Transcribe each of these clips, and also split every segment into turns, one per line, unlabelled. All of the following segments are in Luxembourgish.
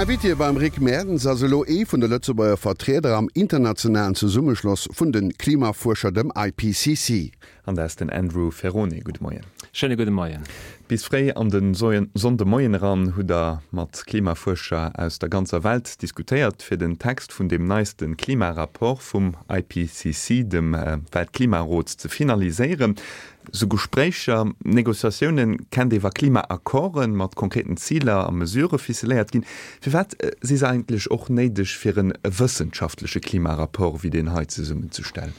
Invité beim Rick Mertens ass elo ee vun de Lëtzebuerger Vertrieder am internationalen Zesummeschloss vun de Klimafuerscher, dem IPCC.
An dat ass den Andrew Ferrone. Gudde Moien.
Schéine gudde Moien.
Bis fréi an de Sonndemoien eran hutt der mat Klimafuerscher aus der ganzer Welt diskutéiert, fir den Text vun deem neiste Klimarapport vum IPCC, dem Weltklimarot, ze finaliséieren. Sou Gespréicher, Negociatioune kennt ee wa Klimaaccorde mat konkreten Ziler a Mesurë ficeléiert ginn. Firwat si se eigentlech och néideg fir e wëssenschaftleche Klimarapport wéi deen hei zesummenzestellen?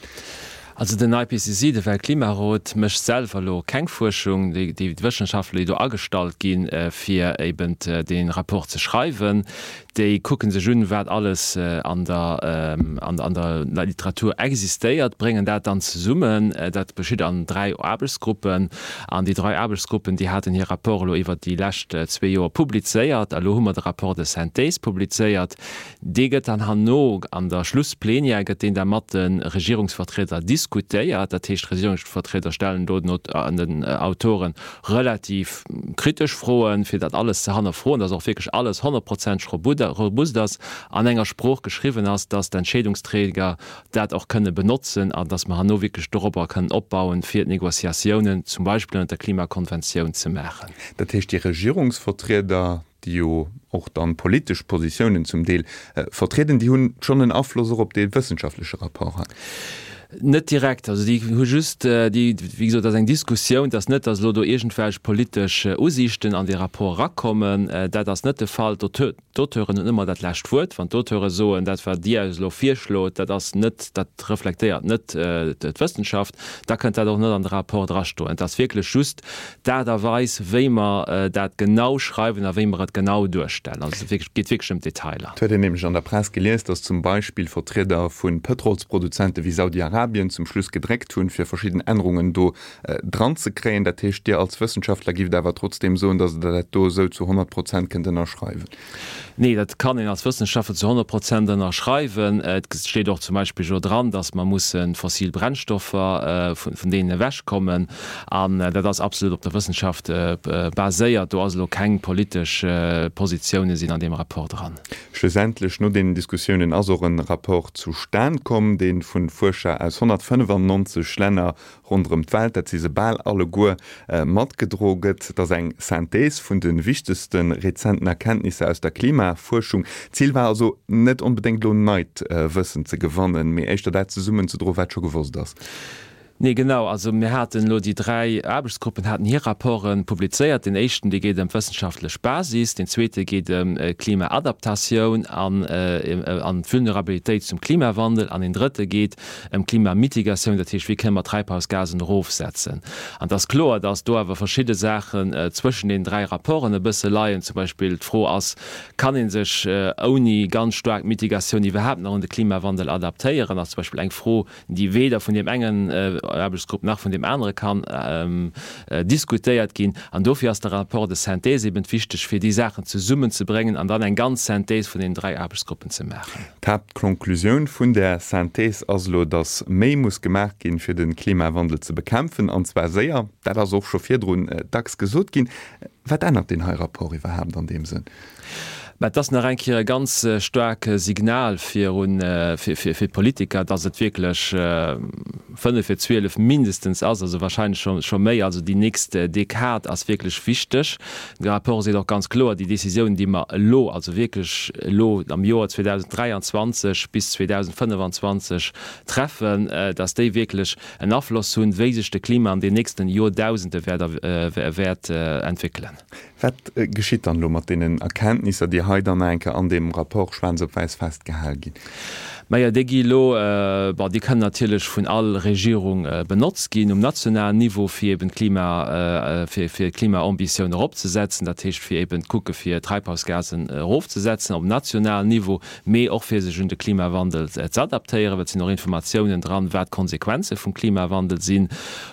Also den IPCC, de Weltklimarot, mécht selwer elo keng Fuerschung. Déi Wëssenschaftler, déi do agestallt ginn, fir eben dee Rapport ze schreiwen, déi kucke sech un, wat alles an der an der Literatur existéiert, bréngen dat dann zesummen. Dat geschitt an dräi Aarbechtsgruppen. An déi dräi Aarbechtsgruppen, déi haten hir Rapport elo iwwert déi lescht zwee Joer publizéiert. A lo hu mer de Rapport de synthèse publizéiert. Dee gëtt dann herno an der Schlussplénière gëtt deen da mat de Regierungsvertrieder diskutéiert. Dat heescht, d'Regierungsvertrieder stellen do den Autoren relativ kritesch Froen, fir dat alles ze hannerfroen, dass och wierklech alles honnertprozenteg robust ass, an enger Sprooch geschriwwen ass, dass d'Entscheedungsträger dat och kënne benotzen an dass mer herno wierklech dorobber kënnen opbauen, fir d'Négociatiounen zum Beispill ënnert der Klimakonventioun ze maachen.
Dat heescht, déi Regierungsvertrieder, déi jo och dann politesch Positiounen zum Deel vertrieden, déi hunn schonn en Afloss och op dee wëssenschaftleche Rapport hei?
Net direkt. Also déi hu just, déi, wéi gesot, dat ass eng Diskussioun, et ass net, datt elo do iergendwelch politesch Usiichten an dee Rapport erakommen. Dat ass net de Fall. D'Auteuren hunn ëmmer dat lescht Wuert. Wann d'Auteure soen, dat wat Dir eis elo virschlot, dat ass net, dat reflektéiert net d'Wëssenschaft, da kënnt dat och net an de Rapport drastoen. Et ass wierklech just D'Aart a Weis, wéi mer dat genau schreiwen a wéi mer et genau duerstellen. Also et geet wierklech ëm d'Detailer.
Et huet een nämlech an der Press gelies, datt zum Beispill Vertrieder vu Pëtrolsproduzente wéi Saudi-Arabien zum Schluss gedréckt hunn, fir verschidden Ännerungen do dran ze kréien. Dat heescht, Dir als Wëssenschaftler gifft awer trotzdeem soen, datt Der dat do esou zu 100 Prozent kënnt ënnerschreiwen?
Nee, dat kann een als Wëssenschaftler zu 100 Prozent ënnerschreiwen. Et steet och zum Beispill jo dran, datt mer musse fossil Brennstoffer, vun deenen ewechkommen. An dat ass absolut op der Wëssenschaft baséiert. Do ass elo keng politesch Positioune sinn an deem Rapport dran.
Schlussendlech, no deenen Diskussiounen, ass och e Rapport zustan komm, dee vu Fuerscher aus 195 Länner ronderëm d'Welt, dat si se bal alleguer, matgedro gëtt. Et ass eng Synthèse vun de wichtegste rezenten Erkenntnisser aus der Klimafuerschung. D'Zil war also net onbedéngt elo neit Wëssen ze gewannen, mee éischter dat zesummenzedroen, wat scho gewosst ass.
Nee, genau. Also mir haten elo déi dräi Aarbechtsgruppen haten hir Rapporte publizéiert. Deen éischten, dee geet ëm d'wëssenschaftlech Basis, deen zweete geet ëm d'Klimaadaptatioun an an d'Vulnerabilitéit zum Klimawandel an deen drëtte geet ëm d'Klimamitigatioun, dat heescht, wéi kënne mer d'Treibhausgasen erofsetzen. An et ass kloer, dass do awer verschidde Saachen zwëschen deenen dräi Rapporten e bësse leien. Zum Beispill d'Fro ass, Kann ee sech ouni ganz staark Mitigatioun iwwerhaapt nach un de Klimawandel adaptéieren? Ass zum Beispill eng Fro, déi weder vun deem engen Aarbechtsgrupp nach vun deem anere kann diskutéiert ginn. An dofir ass de Rapport de synthèse eben wichteg, fir déi Saachen zesummenzebréngen an dann eng ganz Synthèse vun deenen dräi Aarbechtsgruppen ze maachen.
D'Haaptkonklusioun vun där Synthèse ass elo, datt méi muss gemaach ginn, fir de Klimawandel ze bekämpfen, an zwar séier. Dat ass och scho virdrun dacks gesot ginn. Wat ännert deen hei Rapport iwwerhaapt an deem Sënn?
Mä et ass nach eng Kéier e ganz staark Signal fir fir d'Politiker, datt et wierklech 11:55 mindestens ass, also wahrscheinlech scho scho méi. Also déi nächst Dekad ass wierklech wichteg. De Rapport seet och ganz kloer, déi Décisiounen, déi mer elo, also wierklech elo am Joer 2023 bis 2025 treffen, datt déi wierklech en Afloss hunn, wéi sech de Klima an den nächsten Joerdausende wäert entwéckelen.
Wat geschitt dann elo mat deenen Erkenntnisser, déi hei dann nach eng Kéier an deem Rapport schwaarz op wäiss festgehal ginn?
Majo, déi gi elo, bon, déi kënnen natierlech vun all Regierung benotzt ginn um nationalen Niveau, fir eben d'Klima, fir d'Klimaambitioun eropzesetzen, dat heescht fir eben kucke fir d'Treibhausgasen erofzesetzen op nationalen Niveau, mee och fir sech un de Klimawandel z'adaptéieren, well et sinn och Informatiounen dran, wat d'Konsequenze vum Klimawandel sinn.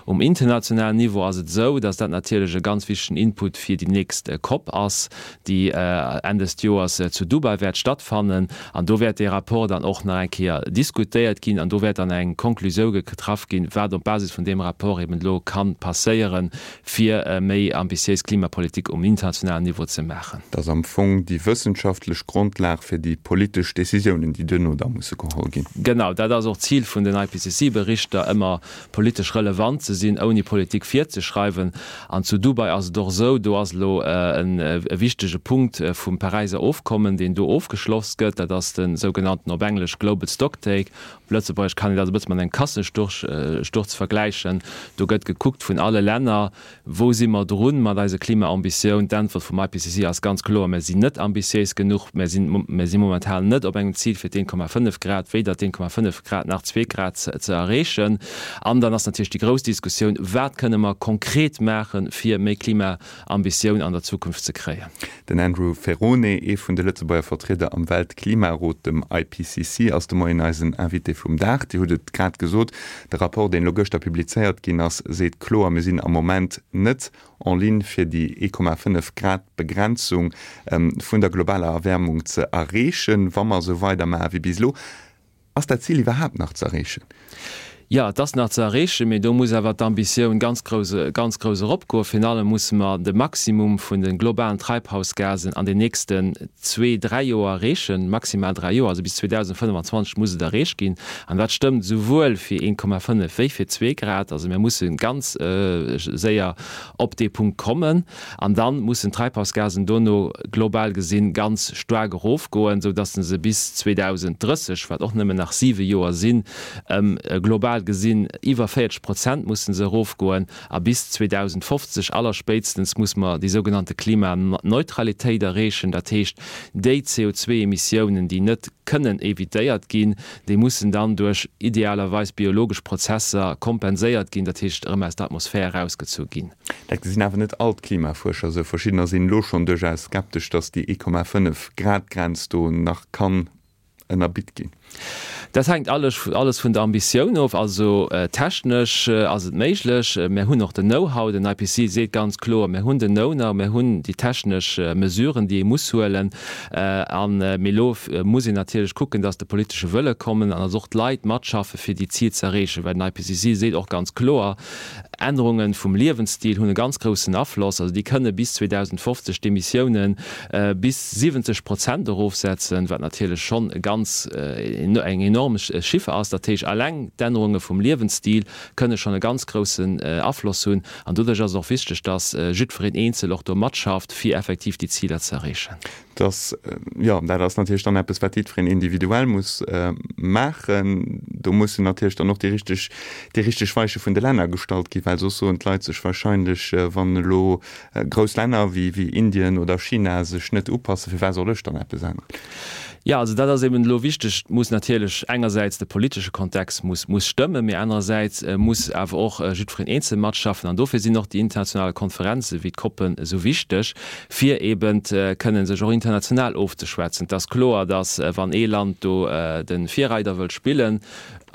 Um internationalen Niveau ass et esou, datt dat natierlech e ganz wichtegen Input fir déi nächst Cop ass, déi Enn des Joers zu Dubai wäert stattfannen. An do wäert dee Rapport dann och nach eng. eng Kéier diskutéiert ginn an do wäert dann eng Konklusioun getraff ginn, wat op Basis vun deem Rapport eben elo ka passéieren, fir méi ambitiéis Klimapolitik um internationalen Niveau ze maachen.
Dat ass am Fong déi wëssenschaftlech Grondlag fir déi politesch Décisiounen, déi duerno da musse geholl ginn.
Genau, dat ass och d'Zil vun den IPCC-Berichter, ëmmer politesch relevant ze sinn, ouni Politik virzeschreiwen. An zu Dubai ass et och esou, do ass elo e wichtege Punkt vum Paräiser Ofkommen, deen do ofgeschloss gëtt, dat ass de sougenannten, op Englesch, Global Stocktake. Op Lëtzebuergesch kann een dat e bësse mat engem Kassesturz vergläichen. Do gëtt gekuckt vun alle Länner, Wou si mer drun mat eiser Klimaambitioun? D'Äntwert vum IPCC ass ganz kloer, Mer sinn net ambitiéis genuch. Mer sinn, mer si momentan net op engem Zil fir d'1,5 Grad, weder d'1,5 Grad nach zwee Grad ze erreechen. An dann ass natierlech déi grouss Diskussioun, Wat kënne mer konkret maachen, fir méi Klimaambitioun an der Zukunft ze kréien?
Den Andrew Ferrone, ee vun de Lëtzebuerger Vertrieder am Weltklimarot, dem IPCC, ass de Moien eisen Invité vum Dag. Dir hutt et grad gesot, de Rapport, deen elo gëschter publizéiert ginn ass, seet kloer, mir sinn am Moment net en ligne fir déi 1,5 Grad Begrenzung vun der globaler Erwäermung ze erreechen, wa mer esou weidermaache wéi bis elo. Ass dat Zil iwwerhaapt nach ze erreechen?
Jo, et ass nach ze erreechen, mee do muss awer d'Ambitioun ganz grouss, ganz grouss eropgoen. Virun allem musse mer de Maximum vun de globalen Treibhausgasen an den nächsten zwee, dräi Joer erreechen, maximal dräi Joer, also bis 2025 muss et erreecht ginn. An dat stëmmt esouwuel fir 1,5 wéi fir zwee Grad. Also mir musse ganz séier op dee Punkt kommen. An dann mussen d'Treibhausgasen dono global gesinn ganz staark erofgoen, sou dass se bis 2030, wat och nëmmen nach siwe Joer sinn, ëm global gesinn iwwer 40 Prozent mussen se erofgoen. A bis 2050 allerspéitstens muss mer déi sougenannte Klimaneutralitéit erreechen. Dat heescht, déi CO2-Emissiounen, déi net kënnen evitéiert ginn, déi mussen dann duerch idealerweis biologesch Prozesser kompenséiert ginn, dat heescht erëm aus der Atmosphär erausgezu ginn.
Dat gesinn awer net all d'Klimafuerscher esou. Verschiddener sinn elo schonn duerchaus skeptesch, datt déi 1,5 Grad Grenz do nach kann ënnerbitt ginn.
Dat hänkt alles alles vun der Ambitioun of. Also technesch ass et méiglech. Mir hunn och den Know-how. Den IPCC seet ganz kloer, mir hunn den Know-now, mir hunn déi technesch Mesuren, déi ee muss huelen. An mee elo muss een natierlech kucken, datt de politesche Wëlle kommen an datt och d'Leit matschaffe fir déi Zil ze erreechen. Well den IPCC seet och ganz kloer, Ännerunge vum Liewensstil hunn e ganz groussen Afloss. Also déi kënne bis 2050 d'Emissiounen bis 70 Prozent erofsetzen, wat natierlech schonn e ganz, eng enorm Chiffer ass. Dat heescht, alleng d'Ännerunge vum Liewensstil kënne schonn e ganz groussen Afloss hunn. An doduerch ass et och wichteg, datt jiddwereen eenzel och do matschafft, fir effektiv déi Ziler ze erreechen.
Dass, jo, dat ass natierlech dann eppes, wat jiddwereen individuell muss maachen. Do mussen natierlech dann och déi richteg, déi richteg Weiche vun de Länner gestallt ginn, well soss soen d'Leit sech wahrscheinlech, wann elo grouss Länner wéi, wéi Indien oder China sech net upassen, firwat soll ech dann eppes änneren?
Jo, also dat ass eben elo wichteg. Et muss natierlech engersäits de politesche Kontext muss, muss stëmmen, mee anerersäits muss awer och jiddwereen eenzel matschaffen. An dofir sinn och déi internationale Konferenze wéi d'COPen esou wichteg, fir eben kënnen sech och international ofzeschwätzen. Et ass kloer, datt wann ee Land do de Virreider wëllt spillen,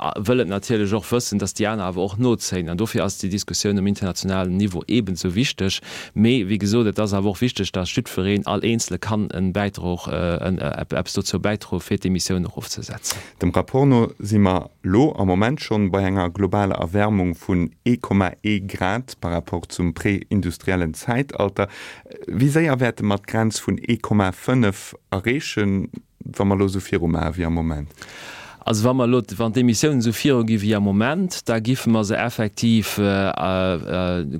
wëll et natierlech och wëssen, datt déi aner awer och nozéien. An dofir ass déi Diskussioun um internationalen Niveau eben esou wichteg. Mee wéi gesot, et ass awer och wichteg, datt jiddwereen, all Eenzele kann en Bäitrog, eppes dozou bäidroen, fir d'Emissioun erofzesetzen.
Dem Rapport no si mer lo am Moment schonn bei enger globaler Erwärmung vun 1,1 Grad par rapport zum prä-industriellen Zäitalter. Wéi séier wäerte mer d'Grenz vun 1,5 erreechen, wa mer lo esou viru maache wéi am Moment?
Also wa mer elo, wann d'Emissiounen esou viru gi wéi am Moment, da giffe mer se effektiv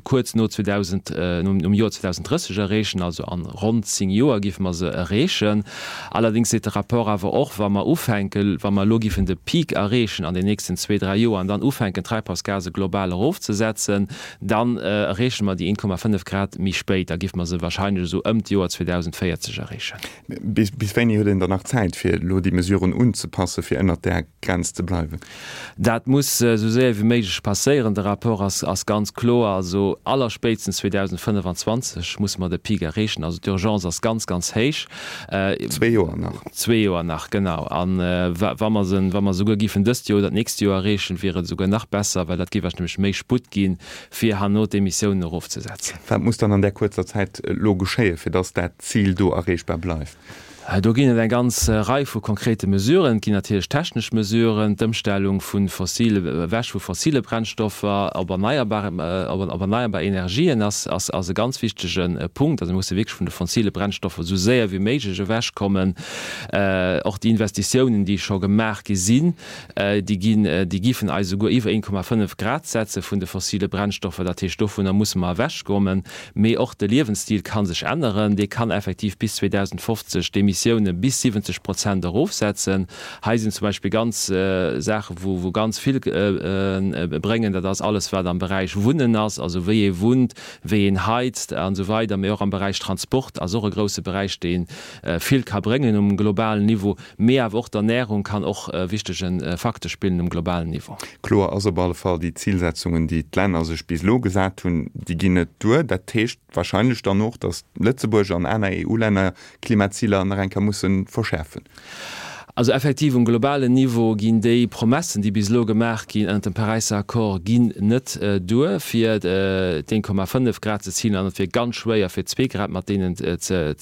kuerz no 2000, nom Joer 2030 erreechen, also an ronn 10 Joer giffe mer se erreechen. Allerdéngs seet de Rapport awer och, wa mer ufänken, wa mer elo giffen de Peak erreechen an den nächsten zwee, dräi Joer an dann ufänken, d'Treibhausgase global erofzesetzen, dann erreeche mer déi 1,5 Grad méi spéit. Da giffe mer se wahrscheinlech esou ëm d'Joer 2040 erreechen.
Bis wéini huet een dann nach Zäit, fir elo déi Mesuren unzepassen, fir ënnert där Grenz ze bleiwen?
Dat muss esou séier wéi méiglech passéieren. De Rapport ass ganz kloer, also allerspéitstens 2025 musse mer de Peak erreechen. Also d'Urgence ass ganz, ganz héich.
Zwee Joer nach.
Zwee Joer nach, genau. A wa mer se, wa mer souguer géifen dëst Joer oder d'nächst Joer erreechen, wier et esouguer nach besser, well dat géif eis nämlech méi Sputt ginn, fir herno d'Emissiounen erofzesetzen.
Wat muss dann an där kuerzer Zäit elo geschéien, fir dass dat Zil do erreechbar bleift?
Do ginn et eng ganz Rei vu konkrete Mesuren. Et ginn natierlech technesch Mesuren, d'Ëmstellung vu fossile, ewech vu fossile Brennstoffer op erneierbar, op erneierbar Energien ass, ass, ass e ganz wichtege Punkt. Also mir musse wierklech vun de fossile Brennstoffer esou séier wéi méiglech ewechkommen. Och déi Investitiounen, déi scho gemaach gi sinn, déi ginn, déi giffen eis esouguer iwwer 1,5 Grad setze vun de fossile Brennstoffer. Dat heescht, dovunner musse mer ewechkommen. Mee och de Liewensstil ka sech änneren. Dee kann effektiv bis 2050 d'Emissioune bis 70 Prozent erofsetzen. Hei sinn zum Beispill ganz Saache wou wou ganz vill bréngen. Dat ass alles wat am Beräich Wunnen ass, also wéi ee wunnt, wéi een heizt an esou weider. Mee och am Beräich Transport ass och e grousse Beräich, dee vill ka bréngen um globalen Niveau. Mee awer och d'Ernärung kann och e wichtege Facteur spillen um globalen Niveau.
Kloer ass op alle Fall, déi Zilsetzungen, déi d'Länner sech bis elo gesat hunn, déi ginn net duer. Dat heescht wahrscheinlech dann och, datt Lëtzebuerg an aner EU-Länner Klimaziler nach eng Kéier musse verschäerfen.
Also effektiv um globalen Niveau ginn déi Promessen, déi bis elo gemaach ginn ënnert dem Paräisser Accord, ginn net duer, fir d'1,5 Grad ze zilen an et wier ganz schwéier, fir zwee Grad mat deenen ze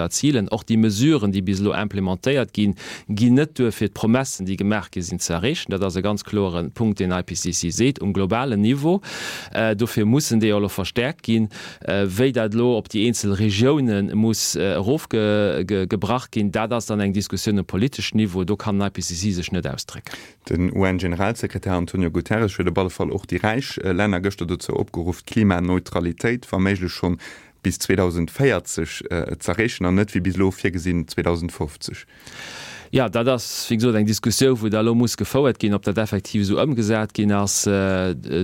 erzilen. Och déi Mesuren, déi bis elo implementéiert ginn, ginn net duer, fir d'Promessen, déi gemaach gi sinn, ze erreechen. Dat ass e ganz kloere Punkt, deen IPCC seet, um globalen Niveau. Dofir mussen déi och elo verstäerkt ginn. Wéi dat elo op déi eenzel Regiounen muss erofgebrach ginn, dat ass dann eng Diskussioun um politeschen Niveau. Do kann den IPCC sech net ausdrécken.
Den UN-Generalsekretär Antonio Guterres huet op alle Fall och déi räich Länner gëschter dozou opgeruff, d'Klimaneutralitéit wa méiglech schonn bis 2040 z'erreechen an net wéi bis elo virgesinn 2050.
Jo, dat ass, wéi gesot, eng Diskussiou, wou da elo muss gefouert ginn, ob dat effektiv esou ëmgesat ginn ass.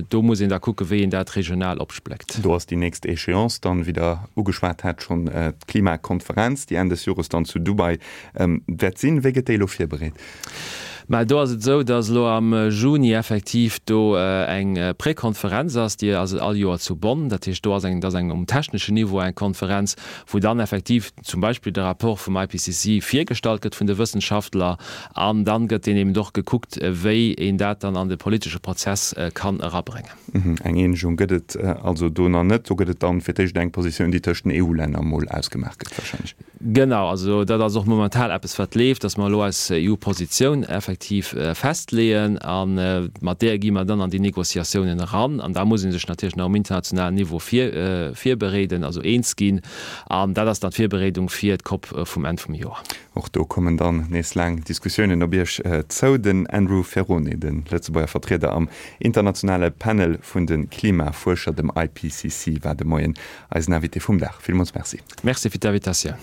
Do muss een da kucken, wéi een dat regional opspléckt.
Do ass déi nächst Échéance dann, wéi Der ugeschwat hat schonn, d'Klimakonferenz, déi Enn des Jores dann zu Dubai wäert sinn. Wéi gëtt déi elo virbereet?
Mä do ass et esou, datt elo am Juni effektiv do eng Prekonferenz ass, déi ass all Joer zu Bonn. Dat heescht, do ass eng, dat ass eng um techneschen Niveau eng Konferenz, wou dann effektiv zum Beispill de Rapport vum IPCC virgestallt gëtt vun de Wëssenschaftler an dann gëtt deen eben och gekuckt, wéi een dat dann an de politesche Prozess kann erabréngen.
Eng Eenegung gëtt et also do nach net. Do gëtt et dann fir d'éischt eng Positioun, déi tëscht den EU-Länner emol ausgemaach gëtt wahrscheinlech.
Genau, also dat ass och momental eppes wat leeft, datt mer elo eis EU-Positioun effektiv festleeën a mat där gi mer dann an déi Négociatiounen eran. An da muss ee sech natierlech nach um internationalen Niveau virbereeden, also eens ginn. An dat ass dann d'Virbereedung fir d'COP vum Enn vum Joer.
Och do kommen dann nees laang Diskussiounen op Iech zou. Den Andrew Ferrone, de Lëtzebuerger Vertrieder am internationale Panel vun de Klimafuerscher, dem IPCC, war de Moien eisen Invité vum Dag. Villmools Merci.
Merci fir d'Invitatioun.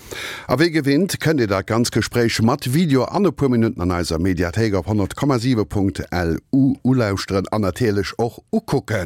A wéi gewinnt kënnt Dir dat ganz Gespréich mat Video an e puer Minutten an eiser Mediathéik op 100,7.lu ulauschteren an natierlech och ukucken.